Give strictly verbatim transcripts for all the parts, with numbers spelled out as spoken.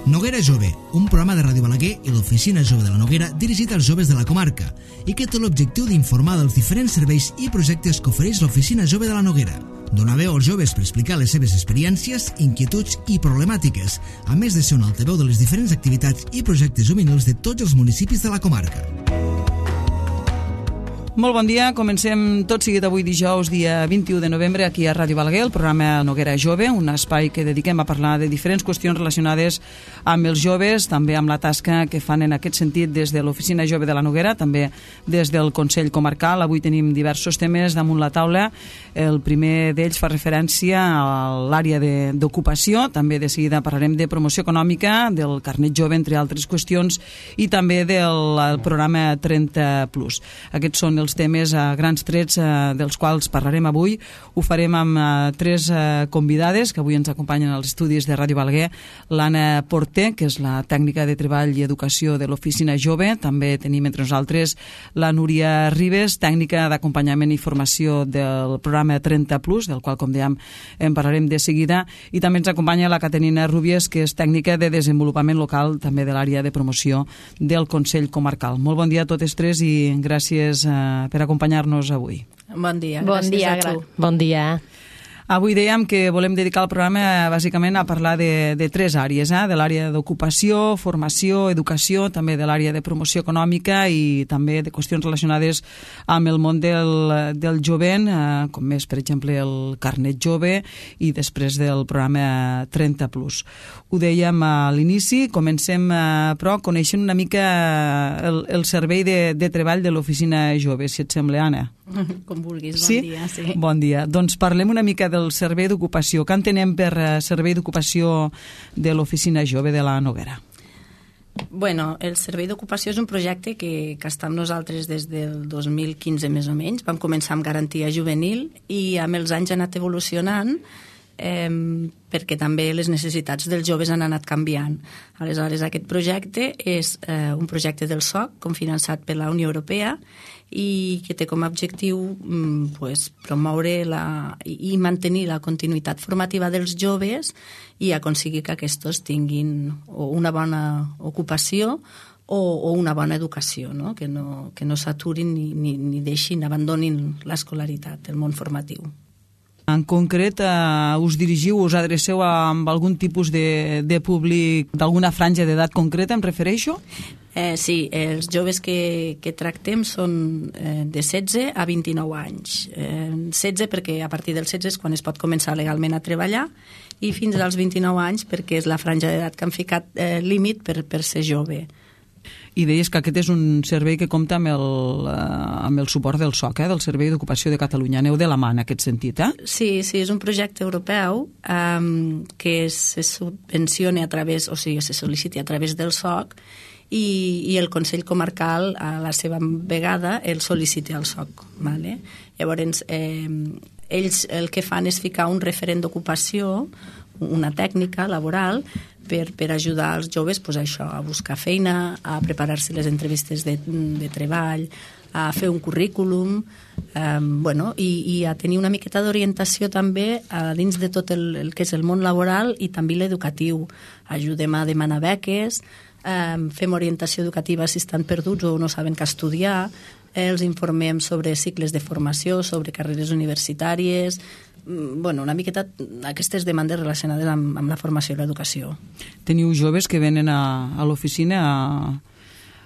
Noguera Jove, un programa de Ràdio Balaguer i l'Oficina Jove de la Noguera dirigit als joves de la comarca i que té l'objectiu d'informar dels diferents serveis i projectes que ofereix l'Oficina Jove de la Noguera. Donar veu als joves per explicar les seves experiències, inquietuds i problemàtiques, a més de ser un altaveu de les diferents activitats i projectes juvenils de tots els municipis de la comarca. Molt bon dia, comencem tot seguit avui dijous, dia vint-i-u de novembre, aquí a Ràdio Balaguer, el programa Noguera Jove, un espai que dediquem a parlar de diferents qüestions relacionades amb els joves, també amb la tasca que fan en aquest sentit des de l'Oficina Jove de la Noguera, també des del Consell Comarcal. Avui tenim diversos temes damunt la taula. El primer d'ells fa referència a l'àrea d'ocupació, també de seguida parlarem de promoció econòmica, del carnet jove, entre altres qüestions, i també del programa trenta plus. Aquests són els temes a grans trets eh, dels quals parlarem avui. Ho farem amb eh, tres eh, convidades que avui ens acompanyen als estudis de Ràdio Balaguer. L'Anna Porter, que és la tècnica de treball i educació de l'Oficina Jove. També tenim entre nosaltres la Núria Ribes, tècnica d'acompanyament i formació del programa trenta plus, del qual, com dèiem, en parlarem de seguida. I també ens acompanya la Caterina Rúbies, que és tècnica de desenvolupament local, també de l'àrea de promoció del Consell Comarcal. Molt bon dia a totes tres i gràcies eh, per acompanyar-nos avui. Bon dia. Bon dia, a tu. Bon dia. Avui dèiem que volem dedicar el programa bàsicament a parlar de, de tres àrees, eh? De l'àrea d'ocupació, formació, educació, també de l'àrea de promoció econòmica i també de qüestions relacionades amb el món del, del jovent, eh, com és, per exemple, el carnet jove i després del programa trenta plus. Ho dèiem a l'inici, comencem, eh, però, coneixent una mica el, el servei de, de treball de l'Oficina Jove, si et sembla, Anna. Com vulguis, bon sí? dia. Sí. Bon dia. Doncs parlem una mica del servei d'ocupació. Què entenem per servei d'ocupació de l'Oficina Jove de la Noguera? Bueno, el servei d'ocupació és un projecte que, que està amb nosaltres des del dos mil quinze més o menys. Vam començar amb garantia juvenil i amb els anys ha anat evolucionant eh, perquè també les necessitats dels joves han anat canviant. Aleshores, aquest projecte és eh, un projecte del S O C, confinançat per la Unió Europea, i que té com a objectiu mm, pues, promoure la, i mantenir la continuïtat formativa dels joves i aconseguir que aquests tinguin o una bona ocupació o, o una bona educació, no? Que no, que no s'aturin ni, ni, ni deixin, abandonin l'escolaritat, el món formatiu. En concret, eh, us dirigiu, us adreceu amb algun tipus de, de públic, d'alguna franja d'edat concreta, em refereixo? Eh, sí, els joves que, que tractem són eh, de setze a vint-i-nou anys. Eh, setze perquè a partir dels setze és quan es pot començar legalment a treballar i fins als vint-i-nou anys perquè és la franja d'edat que han ficat eh, límit per, per ser jove. I deies que aquest és un servei que compta amb el, eh, amb el suport del S O C, eh, del Servei d'Ocupació de Catalunya. Aneu de la mà en aquest sentit, eh? Sí, sí, és un projecte europeu eh, que se subvenciona a través, o sigui, se sol·liciti a través del S O C i, i el Consell Comarcal, a la seva vegada, el sol·licita al S O C. Vale? Llavors, eh, ells el que fan és ficar un referent d'ocupació, una tècnica laboral, per, per ajudar els joves pues, a, això, a buscar feina, a preparar-se les entrevistes de, de treball, a fer un currículum, eh, bueno, i, i a tenir una miqueta d'orientació també a dins de tot el, el que és el món laboral i també l'educatiu. Ajudem a demanar beques, eh, fem orientació educativa si estan perduts o no saben què estudiar, eh, els informem sobre cicles de formació, sobre carreres universitàries, bueno, una miqueta aquestes demandes relacionades amb, amb la formació i l'educació. Teniu joves que venen a, a l'oficina a,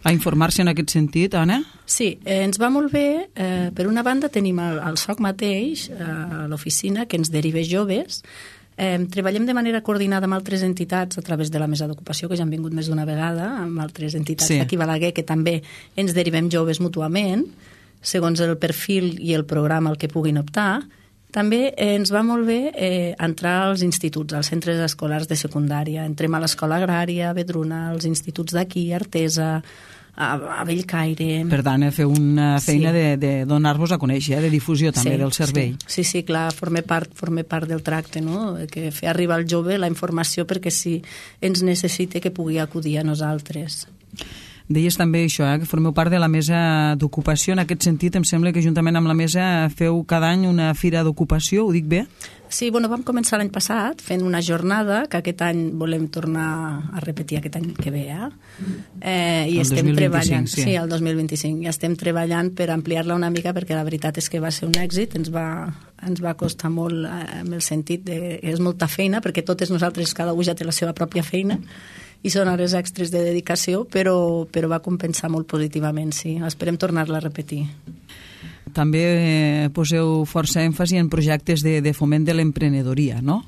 a informar-se en aquest sentit, Anna? Sí, eh, ens va molt bé. Eh, per una banda tenim el, el S O C mateix, eh, a l'oficina, que ens deriva joves. Eh, treballem de manera coordinada amb altres entitats a través de la mesa d'ocupació, que ja han vingut més d'una vegada, amb altres entitats sí. d'aquí a Balaguer, que també ens derivem joves mútuament, segons el perfil i el programa al que puguin optar. També eh, ens va molt bé eh, entrar als instituts, als centres escolars de secundària. Entrem a l'escola agrària, a Vedruna, als instituts d'aquí, Artesa, a, a Bellcaire... Per tant, eh, fer una feina sí. de, de donar-vos a conèixer, eh, de difusió també sí, del servei. Sí, sí, sí clar, forma part, forma part del tracte, no? Que fer arribar al jove la informació perquè si ens necessita que pugui acudir a nosaltres. Deies també això, eh, que formeu part de la mesa d'ocupació. En aquest sentit, em sembla que juntament amb la mesa feu cada any una fira d'ocupació, ho dic bé? Sí, bueno, vam començar l'any passat fent una jornada que aquest any volem tornar a repetir aquest any que ve, eh? eh I el estem treballant, sí. sí, el dos mil vint-i-cinc, i estem treballant per ampliar-la una mica perquè la veritat és que va ser un èxit, ens va, ens va costar molt eh, en el sentit de que és molta feina, perquè totes nosaltres, cada un ja té la seva pròpia feina, i són hores extres de dedicació, però, però va compensar molt positivament, sí. Esperem tornar-la a repetir. També eh, poseu força èmfasi en projectes de, de foment de l'emprenedoria, no?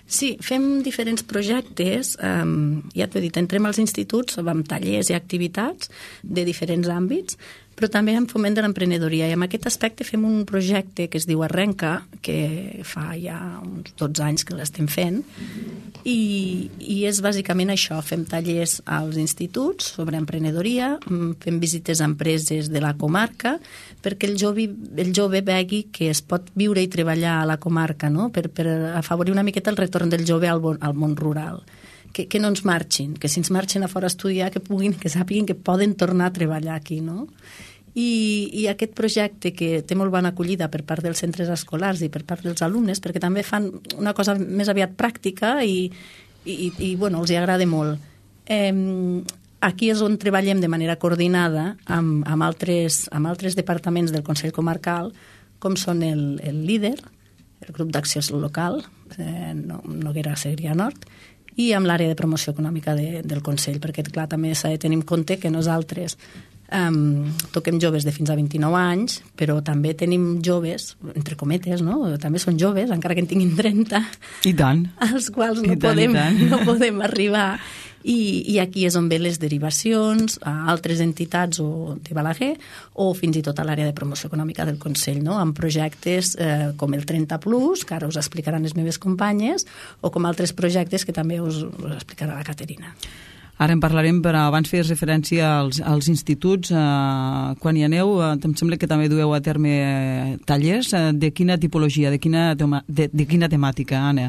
Sí, fem diferents projectes, um, ja t'ho he dit, entrem als instituts amb tallers i activitats de diferents àmbits, però també en foment de l'emprenedoria, i en aquest aspecte fem un projecte que es diu Arrenca, que fa ja uns dotze anys que l'estem fent, i, i és bàsicament això, fem tallers als instituts sobre emprenedoria, fem visites a empreses de la comarca, perquè el jove, el jove vegi que es pot viure i treballar a la comarca, no? per, per afavorir una miqueta el retorn del jove al, bon, al món rural. Que, que no ens marxin, que si ens marxen a fora a estudiar, que puguin, que sàpiguen que poden tornar a treballar aquí, no? I, i aquest projecte que té molt bona acollida per part dels centres escolars i per part dels alumnes, perquè també fan una cosa més aviat pràctica i, i, i bueno, els hi agrada molt. Eh, aquí és on treballem de manera coordinada amb, amb, altres, amb altres departaments del Consell Comarcal, com són el, el líder, el grup d'acció local, eh, Noguera Segrià Nord, i amb l'àrea de promoció econòmica de, del Consell, perquè, clar, també s'ha de tenir en compte que nosaltres um, toquem joves de fins a vint-i-nou anys, però també tenim joves, entre cometes, no? També són joves, encara que en tinguin trenta, I tant. als quals no, I tant, podem, i tant. no podem arribar. I, i aquí és on ve les derivacions a altres entitats o de Balaguer o fins i tot a l'àrea de promoció econòmica del Consell, no? Amb projectes eh, com el trenta plus, que ara us explicaran les meves companyes, o com altres projectes que també us, us explicarà la Caterina. Ara en parlarem, però abans feies referència als, als instituts. Eh, quan hi aneu, eh, em sembla que també dueu a terme eh, tallers. Eh, de quina tipologia, de quina, tema, de, de quina temàtica, Anna?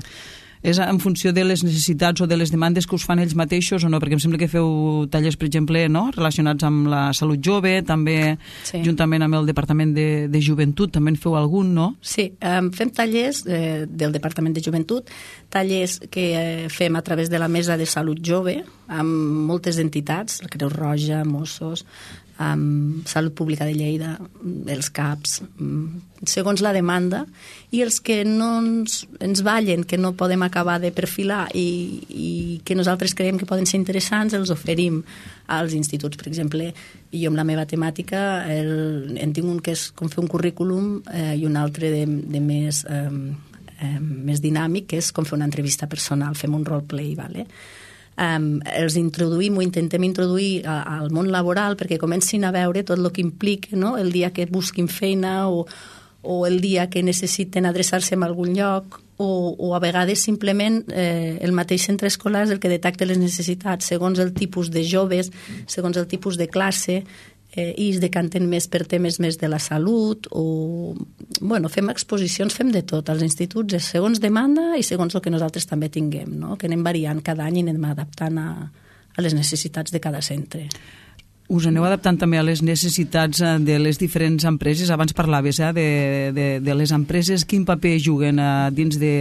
És en funció de les necessitats o de les demandes que us fan ells mateixos o no? Perquè em sembla que feu tallers, per exemple, no? relacionats amb la salut jove, també sí. Juntament amb el Departament de, de Joventut, també en feu algun, no? Sí, um, fem tallers eh, del Departament de Joventut, tallers que eh, fem a través de la Mesa de Salut Jove, amb moltes entitats, la Creu Roja, Mossos, amb Salut Pública de Lleida, els C A Ps, segons la demanda, i els que no ens, ens ballen, que no podem acabar de perfilar i, i que nosaltres creiem que poden ser interessants, els oferim als instituts. Per exemple, jo amb la meva temàtica el, en tinc un que és com fer un currículum eh, i un altre de, de més, eh, eh, més dinàmic, que és com fer una entrevista personal, fem un roleplay, vale? Um, els introduïm o intentem introduir a, al món laboral perquè comencin a veure tot el que implica, no? El dia que busquin feina o, o el dia que necessiten adreçar-se a algun lloc o, o a vegades simplement eh, el mateix centre escolar és el que detecta les necessitats segons el tipus de joves, segons el tipus de classe, eh, i es decanten més per temes més de la salut o, bueno, fem exposicions, fem de tot als instituts, segons demanda i segons el que nosaltres també tinguem, no? Que anem variant cada any i anem adaptant a, a les necessitats de cada centre. Us aneu adaptant també a les necessitats de les diferents empreses. Abans parlaves eh, de, de, de les empreses. Quin paper juguen eh, dins de,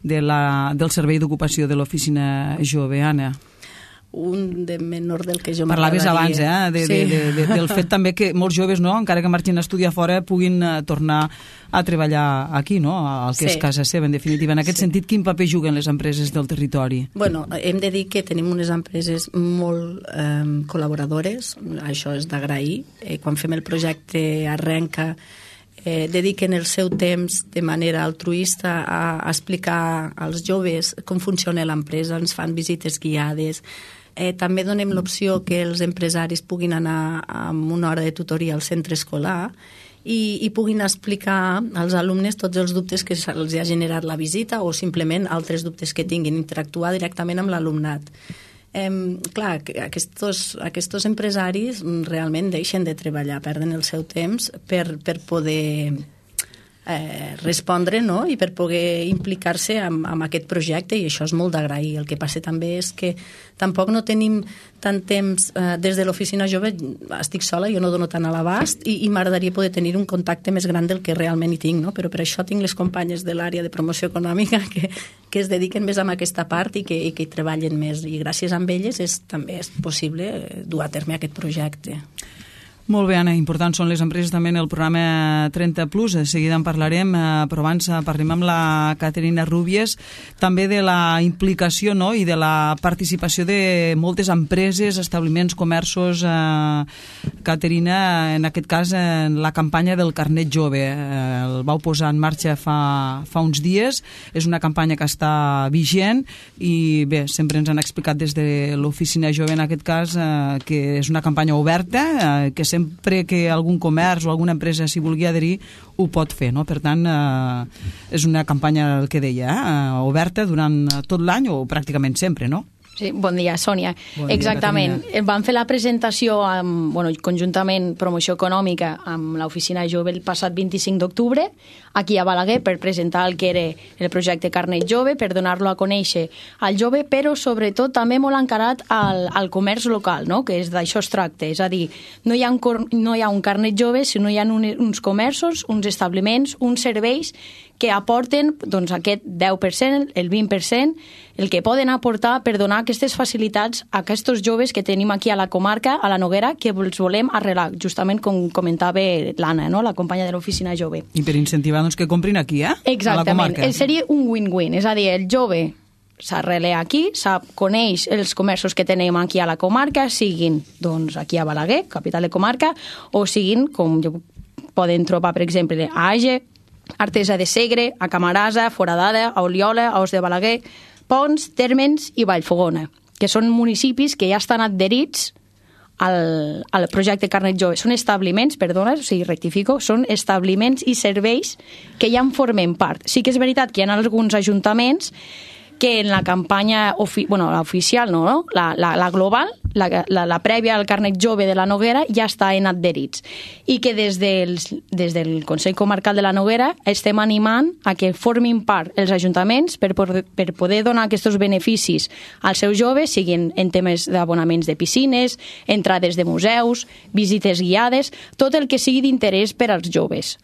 de la, del servei d'ocupació de l'Oficina Jove, Anna? Un de menor del que jo m'agradaria. Parlaves abans, eh, de, sí. de, de, de, del fet també que molts joves, no, encara que marxin a estudiar fora, puguin uh, tornar a treballar aquí, no?, al que sí. és casa seva, en definitiva. En aquest sí. sentit, quin paper juguen les empreses del territori? Bueno, hem de dir que tenim unes empreses molt eh, col·laboradores, això és d'agrair. Eh, quan fem el projecte Arrenca, eh, dediquen el seu temps de manera altruista a, a explicar als joves com funciona l'empresa, ens fan visites guiades. Eh, també donem l'opció que els empresaris puguin anar amb una hora de tutoria al centre escolar i, i puguin explicar als alumnes tots els dubtes que els ha generat la visita o simplement altres dubtes que tinguin, interactuar directament amb l'alumnat. Eh, clar, aquests, aquests empresaris realment deixen de treballar, perden el seu temps per, per poder eh, respondre, no? I per poder implicar-se amb, amb aquest projecte, i això és molt d'agrair. El que passa també és que tampoc no tenim tant temps, eh, des de l'oficina jove estic sola, jo no dono tant a l'abast, i, i m'agradaria poder tenir un contacte més gran del que realment hi tinc, no? Però per això tinc les companyes de l'àrea de promoció econòmica que, que es dediquen més a aquesta part i que, i que hi treballen més, i gràcies a elles és, també és possible dur a terme aquest projecte. Molt bé, Anna, importants són les empreses també en el programa trenta plus, de seguida en parlarem, però abans parlem amb la Caterina Rubies també de la implicació, no?, i de la participació de moltes empreses, establiments, comerços. eh, Caterina, en aquest cas, en la campanya del carnet jove, eh, el vau posar en marxa fa, fa uns dies, és una campanya que està vigent i bé, sempre ens han explicat des de l'oficina jove, en aquest cas, eh, que és una campanya oberta, eh, que sempre que algun comerç o alguna empresa s'hi vulgui adherir ho pot fer, no? Per tant, eh, és una campanya, el que deia, eh, oberta durant tot l'any o pràcticament sempre, no? Sí, bon dia, Sònia. Bon dia, exactament. Caterina. Vam fer la presentació amb, bueno, conjuntament Promoció Econòmica amb l'Oficina Jove el passat vint-i-cinc d'octubre aquí a Balaguer per presentar el que era el projecte Carnet Jove, per donar-lo a conèixer al jove, però sobretot també molt encarat al, al comerç local, no?, que és d'això es tracta. És a dir, no hi ha un, no hi ha un carnet jove, sinó hi ha un, uns comerços, uns establiments, uns serveis que aporten doncs, aquest deu per cent, el vint per cent, el que poden aportar per donar aquestes facilitats a aquests joves que tenim aquí a la comarca, a la Noguera, que els volem arrelar, justament com comentava l'Anna, no?, la companya de l'oficina jove. I per incentivar doncs, que comprin aquí, eh? Exactament. A la comarca. Seria un win-win, és a dir, el jove s'arrela aquí, sap, coneix els comerços que tenim aquí a la comarca, siguin doncs, aquí a Balaguer, capital de comarca, o siguin, com poden trobar, per exemple, a Age, Artesa de Segre, a Camarasa, Foradada, a Oliola, a Os de Balaguer, Pons, Térmens i Vallfogona, que són municipis que ja estan adherits al, al projecte Carnet Jove. Són establiments, perdona, o sigui, rectifico, són establiments i serveis que ja en formen part. Sí que és veritat que hi ha alguns ajuntaments que en la campanya, ofi bueno, la oficial, no, no? La, la, la global, la, la, la prèvia al carnet jove de la Noguera ja està en adherits. I que des, dels, des del Consell Comarcal de la Noguera estem animant a que formin part els ajuntaments per, per poder donar aquests beneficis als seus joves, siguin en temes d'abonaments de piscines, entrades de museus, visites guiades, tot el que sigui d'interès per als joves.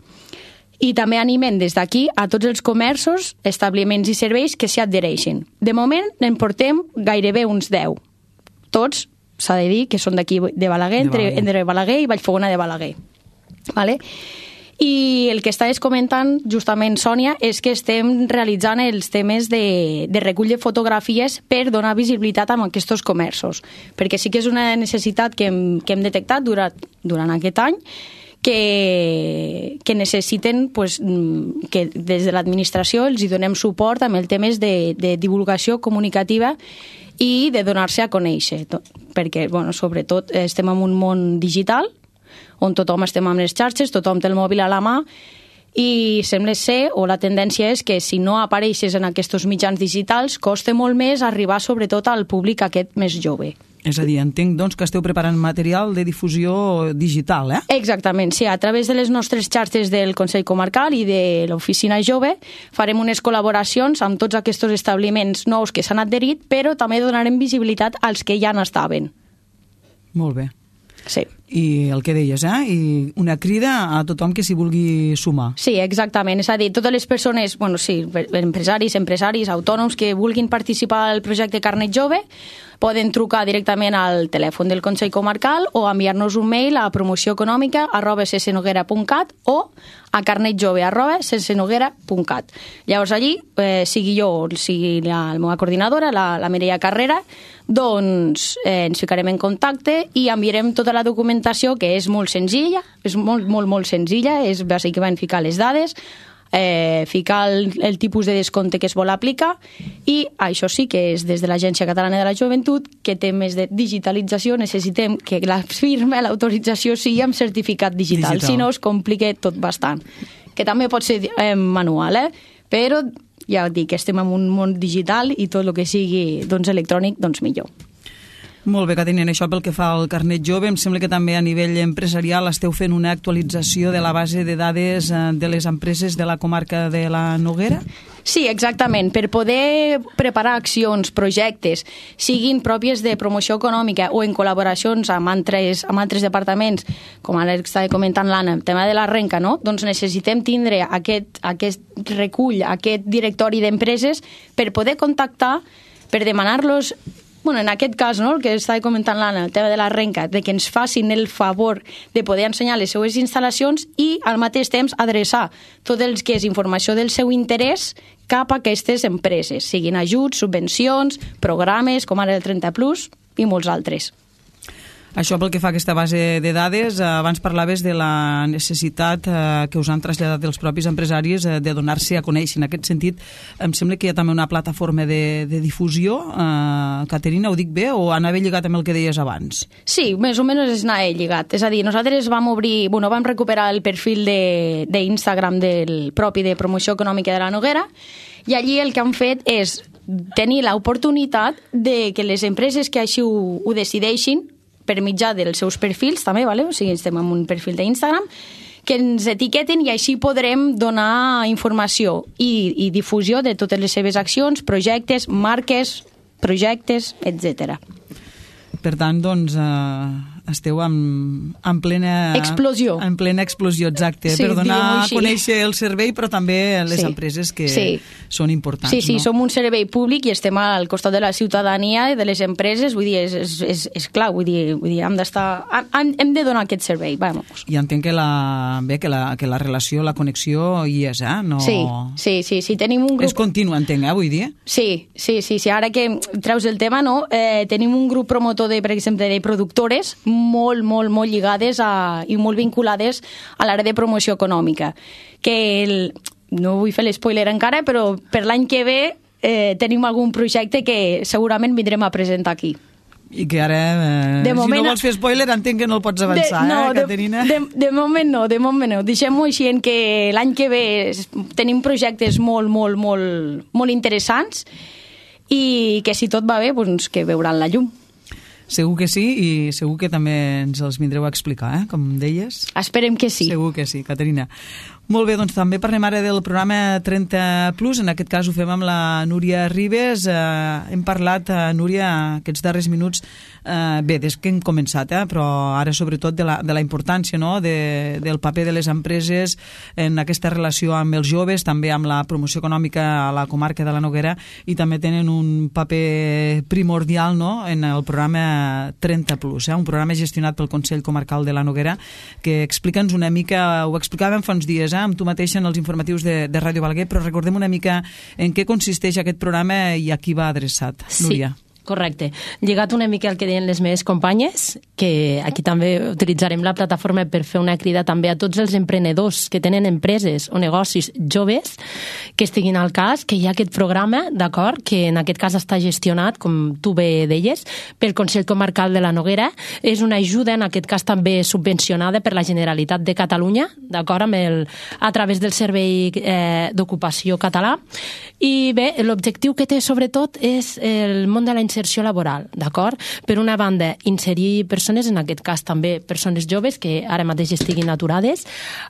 I també animem des d'aquí a tots els comerços, establiments i serveis que s'hi adhereixin. De moment en portem gairebé uns deu. Tots, s'ha de dir, que són d'aquí de Balaguer, entre, entre Balaguer i Vallfogona de Balaguer. Vale? I el que estaves comentant, justament, Sònia, és que estem realitzant els temes de, de recull de fotografies per donar visibilitat a aquests comerços. Perquè sí que és una necessitat que hem, que hem detectat durant, durant aquest any, que, que necessiten pues, que des de l'administració els hi donem suport amb el temes de, de divulgació comunicativa i de donar-se a conèixer, perquè bueno, sobretot estem en un món digital on tothom estem amb les xarxes, tothom té el mòbil a la mà i sembla ser, o la tendència és que si no apareixes en aquests mitjans digitals costa molt més arribar sobretot al públic aquest més jove. És a dir, entenc doncs, que esteu preparant material de difusió digital, eh? Exactament, sí. A través de les nostres xarxes del Consell Comarcal i de l'Oficina Jove farem unes col·laboracions amb tots aquests establiments nous que s'han adherit, però també donarem visibilitat als que ja n'estaven. Molt bé. Sí. I el que deies, eh? I una crida a tothom que s'hi vulgui sumar. Sí, exactament. És a dir, totes les persones, bueno, sí, empresaris, empresaris, autònoms que vulguin participar al projecte Carnet Jove poden trucar directament al telèfon del Consell Comarcal o enviar-nos un mail a promocioeconòmica arroba sesenoguera punt cat o a carnetjove arroba sesenoguera punt cat. Llavors allí, eh, sigui jo o sigui la, la meva coordinadora, la, la Mireia Carrera, doncs eh, ens ficarem en contacte i enviarem tota la documentació, que és molt senzilla, és molt, molt, molt senzilla, és bàsicament ficar les dades, Eh, ficar el, el tipus de descompte que es vol aplicar i això sí que és des de l'Agència Catalana de la Joventut, que té més de digitalització, necessitem que la firma, l'autorització sigui amb certificat digital, digital. Si no es complica tot bastant, que també pot ser eh, manual, eh? Però ja dic que estem en un món digital i tot el que sigui doncs, electrònic, doncs millor. Molt bé, Caterina, això pel que fa al carnet jove, em sembla que també a nivell empresarial esteu fent una actualització de la base de dades de les empreses de la comarca de la Noguera? Sí, exactament. Per poder preparar accions, projectes, siguin pròpies de promoció econòmica o en col·laboracions amb altres, amb altres departaments, com ara estava comentant l'Anna, el tema de la renca, no? Doncs necessitem tindre aquest, aquest recull, aquest directori d'empreses per poder contactar, per demanar-los, bueno, en aquest cas, no, el que estava comentant l'Anna, el tema de la renca, de que ens facin el favor de poder ensenyar les seues instal·lacions i al mateix temps adreçar tot el que és informació del seu interès cap a aquestes empreses, siguin ajuts, subvencions, programes, com ara el trenta plus i molts altres. Això pel que fa a aquesta base de dades, abans parlaves de la necessitat que us han traslladat els propis empresaris de donar-se a conèixer. En aquest sentit, em sembla que hi ha també una plataforma de, de difusió. Uh, Caterina, ho dic bé o anava lligat amb el que deies abans? Sí, més o menys és anar lligat. És a dir, nosaltres vam obrir, bueno, vam recuperar el perfil d'Instagram de, del propi de promoció econòmica de la Noguera i allí el que han fet és tenir l'oportunitat de que les empreses que així ho, ho decideixin per mitjà dels seus perfils també, vale? O sigui, estem en un perfil d'Instagram, que ens etiqueten i així podrem donar informació i, i difusió de totes les seves accions, projectes, marques, projectes, etcètera. Per tant, doncs, eh, esteu en, en plena... Explosió. En plena explosió, exacte, sí, per donar a conèixer el servei, però també les sí. empreses que sí. són importants. Sí, sí, no? som un servei públic i estem al costat de la ciutadania i de les empreses, vull dir, és, és, és, és clar, vull dir, vull dir hem d'estar... Hem, hem de donar aquest servei, vamos. I entenc que la, bé, que la, que la relació, la connexió hi és, eh? No... Sí, sí, sí, sí, tenim un grup... És continu, entenc, eh, vull dir? Sí, sí, sí, sí, ara que treus el tema, no? Eh, tenim un grup promotor, de, per exemple, de productores molt, molt, molt lligades a, i molt vinculades a l'àrea de promoció econòmica. Que el, no vull fer l'espoiler encara, però per l'any que ve eh, tenim algun projecte que segurament vindrem a presentar aquí. I que ara, eh, si moment, no vols fer spoiler, entenc que no el pots avançar, de, no, eh, Caterina? De, de, de moment no, de moment no. Deixem-ho així en que l'any que ve tenim projectes molt, molt, molt, molt interessants i que si tot va bé, doncs que veuran la llum. Segur que sí, i segur que també ens els vindreu a explicar, eh? Com deies. Esperem que sí. Segur que sí, Caterina. Molt bé, doncs també parlem ara del programa trenta plus, en aquest cas ho fem amb la Núria Ribes. Eh, hem parlat, eh, Núria, aquests darrers minuts, eh, bé, des que hem començat, eh, però ara sobretot de la, de la importància, no?, de, del paper de les empreses en aquesta relació amb els joves, també amb la promoció econòmica a la comarca de la Noguera, i també tenen un paper primordial, no?, en el programa trenta plus, eh, un programa gestionat pel Consell Comarcal de la Noguera, que explica'ns una mica, ho explicàvem fa uns dies, eh, amb tu mateixa en els informatius de, de Ràdio Balaguer, però recordem una mica en què consisteix aquest programa i a qui va adreçat. Sí. Núria. Correcte. Lligat una mica al que deien les meves companyes, que aquí també utilitzarem la plataforma per fer una crida també a tots els emprenedors que tenen empreses o negocis joves que estiguin al cas, que hi ha aquest programa, d'acord, que en aquest cas està gestionat, com tu bé deies, pel Consell Comarcal de la Noguera. És una ajuda, en aquest cas també subvencionada per la Generalitat de Catalunya, d'acord, amb el, a través del Servei eh, d'Ocupació Català. I bé, l'objectiu que té sobretot és el món de la inserció laboral, d'acord? Per una banda, inserir persones, en aquest cas també persones joves que ara mateix estiguin aturades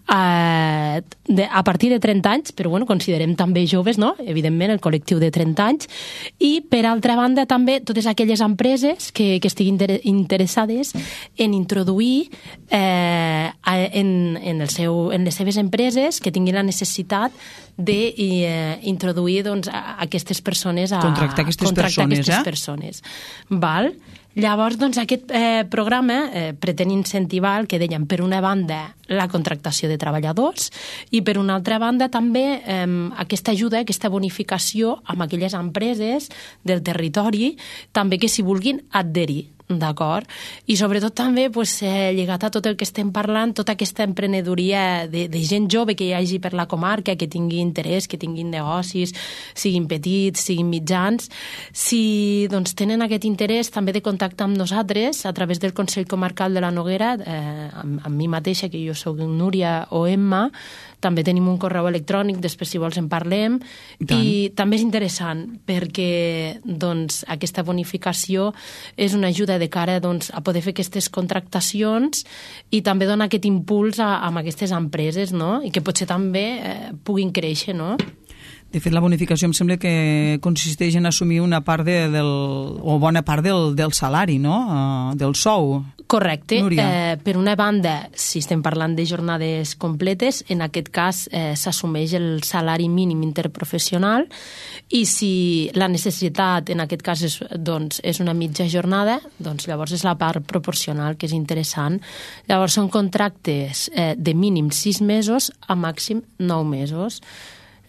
eh, de, a partir de trenta anys, però bueno, considerem també joves, no? Evidentment, el col·lectiu de trenta anys, i per altra banda també totes aquelles empreses que, que estiguin interessades en introduir eh, en, en, el seu, en les seves empreses que tinguin la necessitat d'introduir eh, doncs, aquestes persones a contractar aquestes contractar persones, aquestes eh? persones. Val? Llavors, doncs, aquest eh, programa eh, pretén incentivar el que dèiem, per una banda, la contractació de treballadors i, per una altra banda, també eh, aquesta ajuda, aquesta bonificació amb aquelles empreses del territori també que s'hi vulguin adherir. D'acord? I sobretot també pues, eh, lligat a tot el que estem parlant, tota aquesta emprenedoria de, de gent jove que hi hagi per la comarca, que tingui interès, que tinguin negocis, siguin petits, siguin mitjans. Si doncs, tenen aquest interès també de contactar amb nosaltres a través del Consell Comarcal de la Noguera, eh, amb, amb mi mateixa, que jo soc Núria o Emma, també tenim un correu electrònic, després si vols en parlem, i, i també és interessant perquè doncs, aquesta bonificació és una ajuda de cara doncs, a poder fer aquestes contractacions i també dona aquest impuls a, a aquestes empreses, no? I que potser també eh, puguin créixer, no? De fet, la bonificació em sembla que consisteix en assumir una part de, del, o bona part del, del salari, no? Uh, del sou. Correcte. Eh, per una banda, si estem parlant de jornades completes, en aquest cas eh, s'assumeix el salari mínim interprofessional i si la necessitat en aquest cas és, doncs, és una mitja jornada, doncs llavors és la part proporcional, que és interessant. Llavors són contractes eh, de mínim sis mesos a màxim nou mesos.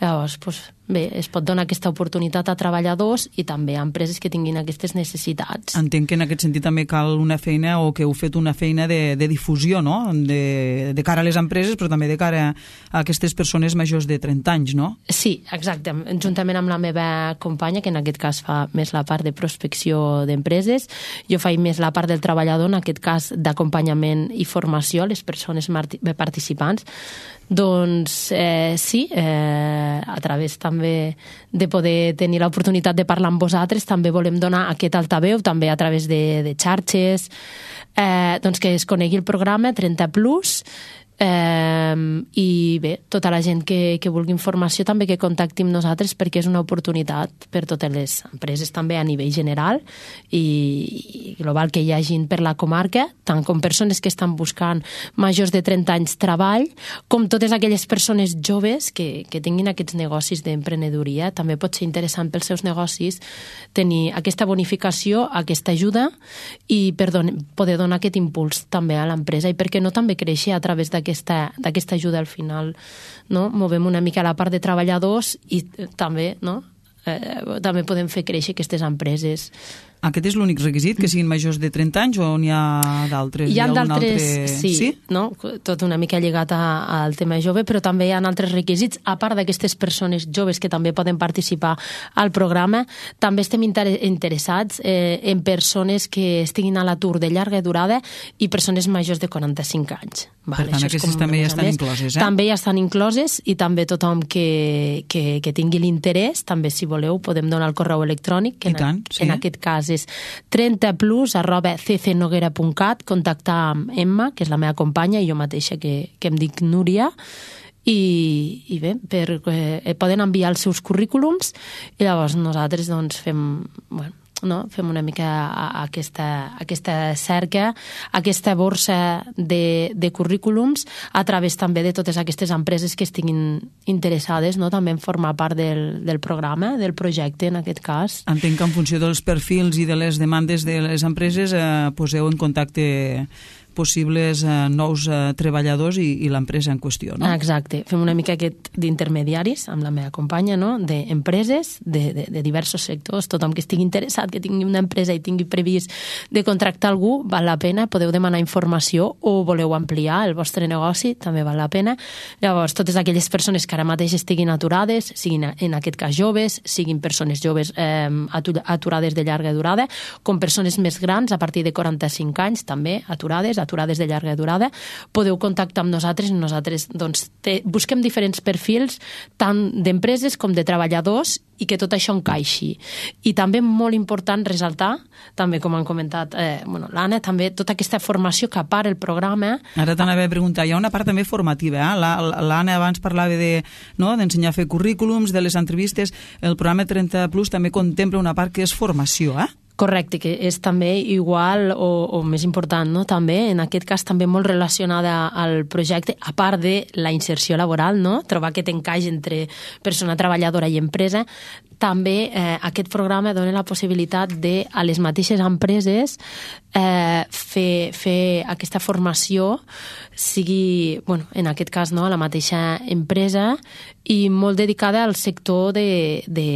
Llavors, doncs, bé, es pot donar aquesta oportunitat a treballadors i també a empreses que tinguin aquestes necessitats. Entenc que en aquest sentit també cal una feina o que heu fet una feina de, de difusió, no? De, de cara a les empreses, però també de cara a aquestes persones majors de trenta anys, no? Sí, exacte. Juntament amb la meva companya, que en aquest cas fa més la part de prospecció d'empreses, jo faig més la part del treballador, en aquest cas d'acompanyament i formació a les persones participants. Doncs eh, sí, eh, a través també de poder tenir l'oportunitat de parlar amb vosaltres, també volem donar aquest altaveu, també a través de, de xarxes, eh, doncs que es conegui el programa trenta plus, eh, i bé, tota la gent que, que vulgui informació també que contacti amb nosaltres perquè és una oportunitat per totes les empreses també a nivell general i, i global que hi hagin per la comarca, tant com persones que estan buscant majors de trenta anys treball, com totes aquelles persones joves que, que tinguin aquests negocis d'emprenedoria. També pot ser interessant pels seus negocis tenir aquesta bonificació, aquesta ajuda i per don- poder donar aquest impuls també a l'empresa i perquè no també créixer a través d'aquesta d'aquesta ajuda al final, no? Movem una mica la part de treballadors i també, no? Eh, també podem fer créixer aquestes empreses. Aquest és l'únic requisit, que siguin majors de trenta anys o n'hi ha d'altres? Hi ha, ha d'altres, altre... sí, sí? No? Tot una mica lligat a, al tema jove, però també hi ha altres requisits, a part d'aquestes persones joves que també poden participar al programa, també estem inter interessats eh, en persones que estiguin a l'atur de llarga durada i persones majors de quaranta-cinc anys. Vale, per tant, aquestes també ja estan més. incloses, eh? També ja estan incloses i també tothom que, que, que tingui l'interès, també si voleu podem donar el correu electrònic, que en, tant, sí. en aquest cas és trenta plus arroba c c noguera punt cat, contactar amb Emma, que és la meva companya, i jo mateixa que, que em dic Núria, i, i bé, per, eh, poden enviar els seus currículums i llavors nosaltres doncs fem... Bueno, no? Fem una mica aquesta, aquesta cerca, aquesta borsa de, de currículums a través també de totes aquestes empreses que estiguin interessades, no? També en formar part del, del programa, del projecte en aquest cas. Entenc que en funció dels perfils i de les demandes de les empreses eh, poseu en contacte possibles eh, nous eh, treballadors i, i l'empresa en qüestió, no? Exacte. Fem una mica aquest d'intermediaris amb la meva companya, no? D'empreses, de, de, de diversos sectors. Tothom que estigui interessat, que tingui una empresa i tingui previst de contractar algú, val la pena, podeu demanar informació o voleu ampliar el vostre negoci, també val la pena. Llavors, totes aquelles persones que ara mateix estiguin aturades, siguin en aquest cas joves, siguin persones joves eh, aturades de llarga durada, com persones més grans, a partir de quaranta-cinc anys, també aturades, aturades de llarga durada, podeu contactar amb nosaltres i nosaltres doncs, te, busquem diferents perfils tant d'empreses com de treballadors i que tot això encaixi. I també molt important ressaltar, també com han comentat eh, bueno, l'Anna, també tota aquesta formació que a part el programa... Ara t'anava a preguntar, hi ha una part també formativa, eh? L'Anna abans parlava de, no, d'ensenyar a fer currículums, de les entrevistes, el programa trenta plus també contempla una part que és formació, eh? Correcte, que és també igual o, o més important, no? També, en aquest cas, també molt relacionada al projecte, a part de la inserció laboral, no? Trobar aquest encaix entre persona treballadora i empresa. També eh, aquest programa dona la possibilitat de, a les mateixes empreses, eh, fer, fer aquesta formació, sigui, bueno, en aquest cas, no?, a la mateixa empresa i molt dedicada al sector de, de,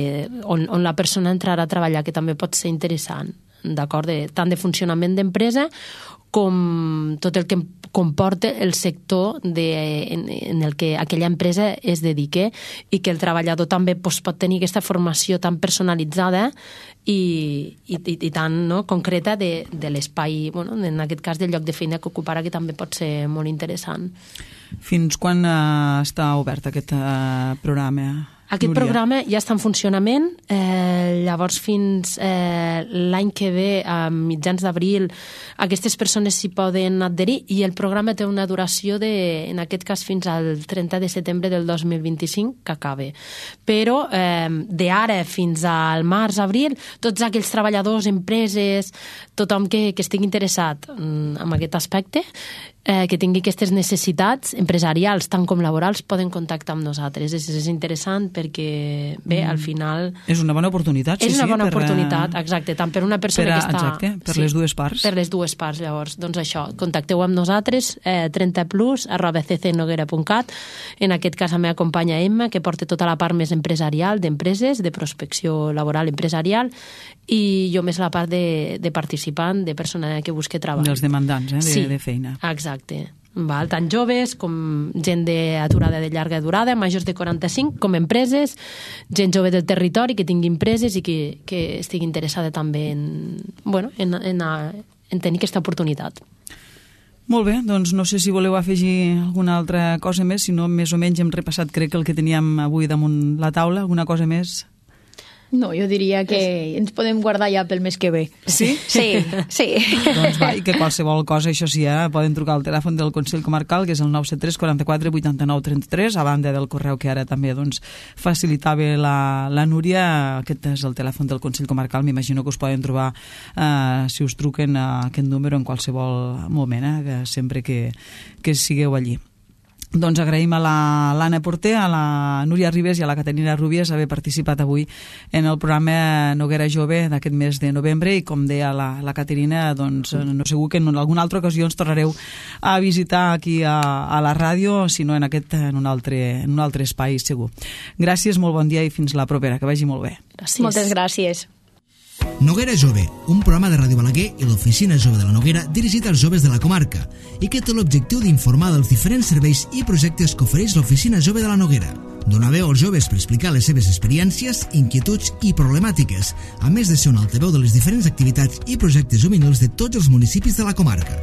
on, on la persona entrarà a treballar, que també pot ser interessant, d'acord? De, tant de funcionament d'empresa com tot el que comporta el sector de, en, en el que aquella empresa es dedique i que el treballador també pues, pot tenir aquesta formació tan personalitzada i, i, i tan no, concreta de, de l'espai, bueno, en aquest cas del lloc de feina que ocuparà, que també pot ser molt interessant. Fins quan eh, està obert aquest eh, programa? Aquest Núria. programa ja està en funcionament, eh, llavors fins eh, l'any que ve, a mitjans d'abril, aquestes persones s'hi poden adherir i el programa té una duració de, en aquest cas, fins al trenta de setembre del dos mil vint-i-cinc, que acabe. Però eh, d'ara fins al març-abril, tots aquells treballadors, empreses, tothom que, que estigui interessat en aquest aspecte, eh, que tingui aquestes necessitats empresarials, tant com laborals, poden contactar amb nosaltres. És, és interessant perquè, bé, mm. al final... És una bona oportunitat, sí, és una sí. bona per, oportunitat, exacte, tant per una persona per a, que està... Exacte, per sí, les dues parts. Per les dues parts, llavors. Doncs això, contacteu amb nosaltres, eh, trenta plus, arroba c c noguera punt cat. En aquest cas, la meva companya Emma, que porta tota la part més empresarial d'empreses, de prospecció laboral empresarial, i jo més la part de, de participant, de persona que busca treball. Dels demandants, eh, de, sí, de feina. Exacte. Val, tant joves com gent d'aturada de llarga durada, majors de quaranta-cinc, com empreses, gent jove del territori que tingui empreses i que, que estigui interessada també en, bueno, en, en, en tenir aquesta oportunitat. Molt bé, doncs no sé si voleu afegir alguna altra cosa més, si no més o menys hem repassat crec que el que teníem avui damunt la taula, alguna cosa més? No, jo diria que ens podem guardar ja pel mes que ve. Sí? Sí, sí. Doncs va, i que qualsevol cosa, això sí, eh, poden trucar al telèfon del Consell Comarcal, que és el nou set tres quaranta-quatre vuitanta-nou trenta-tres, a banda del correu que ara també doncs, facilitava la, la Núria. Aquest és el telèfon del Consell Comarcal, m'imagino que us poden trobar eh, si us truquen a aquest número en qualsevol moment, eh, que sempre que, que sigueu allí. Doncs agraïm a l'Anna Porter, a la Núria Ribes i a la Caterina Rubies haver participat avui en el programa Noguera Jove d'aquest mes de novembre i com deia la, la Caterina, doncs no segur que en alguna altra ocasió ens tornareu a visitar aquí a, a la ràdio, sinó en aquest en un, altre, en un altre espai segur. Gràcies, molt bon dia i fins la propera, que vagi molt bé. Gràcies. Moltes gràcies. Noguera Jove, un programa de Ràdio Balaguer i l'Oficina Jove de la Noguera dirigit als joves de la comarca i que té l'objectiu d'informar dels diferents serveis i projectes que ofereix l'Oficina Jove de la Noguera. Donar veu als joves per explicar les seves experiències, inquietuds i problemàtiques, a més de ser un altaveu de les diferents activitats i projectes juvenils de tots els municipis de la comarca.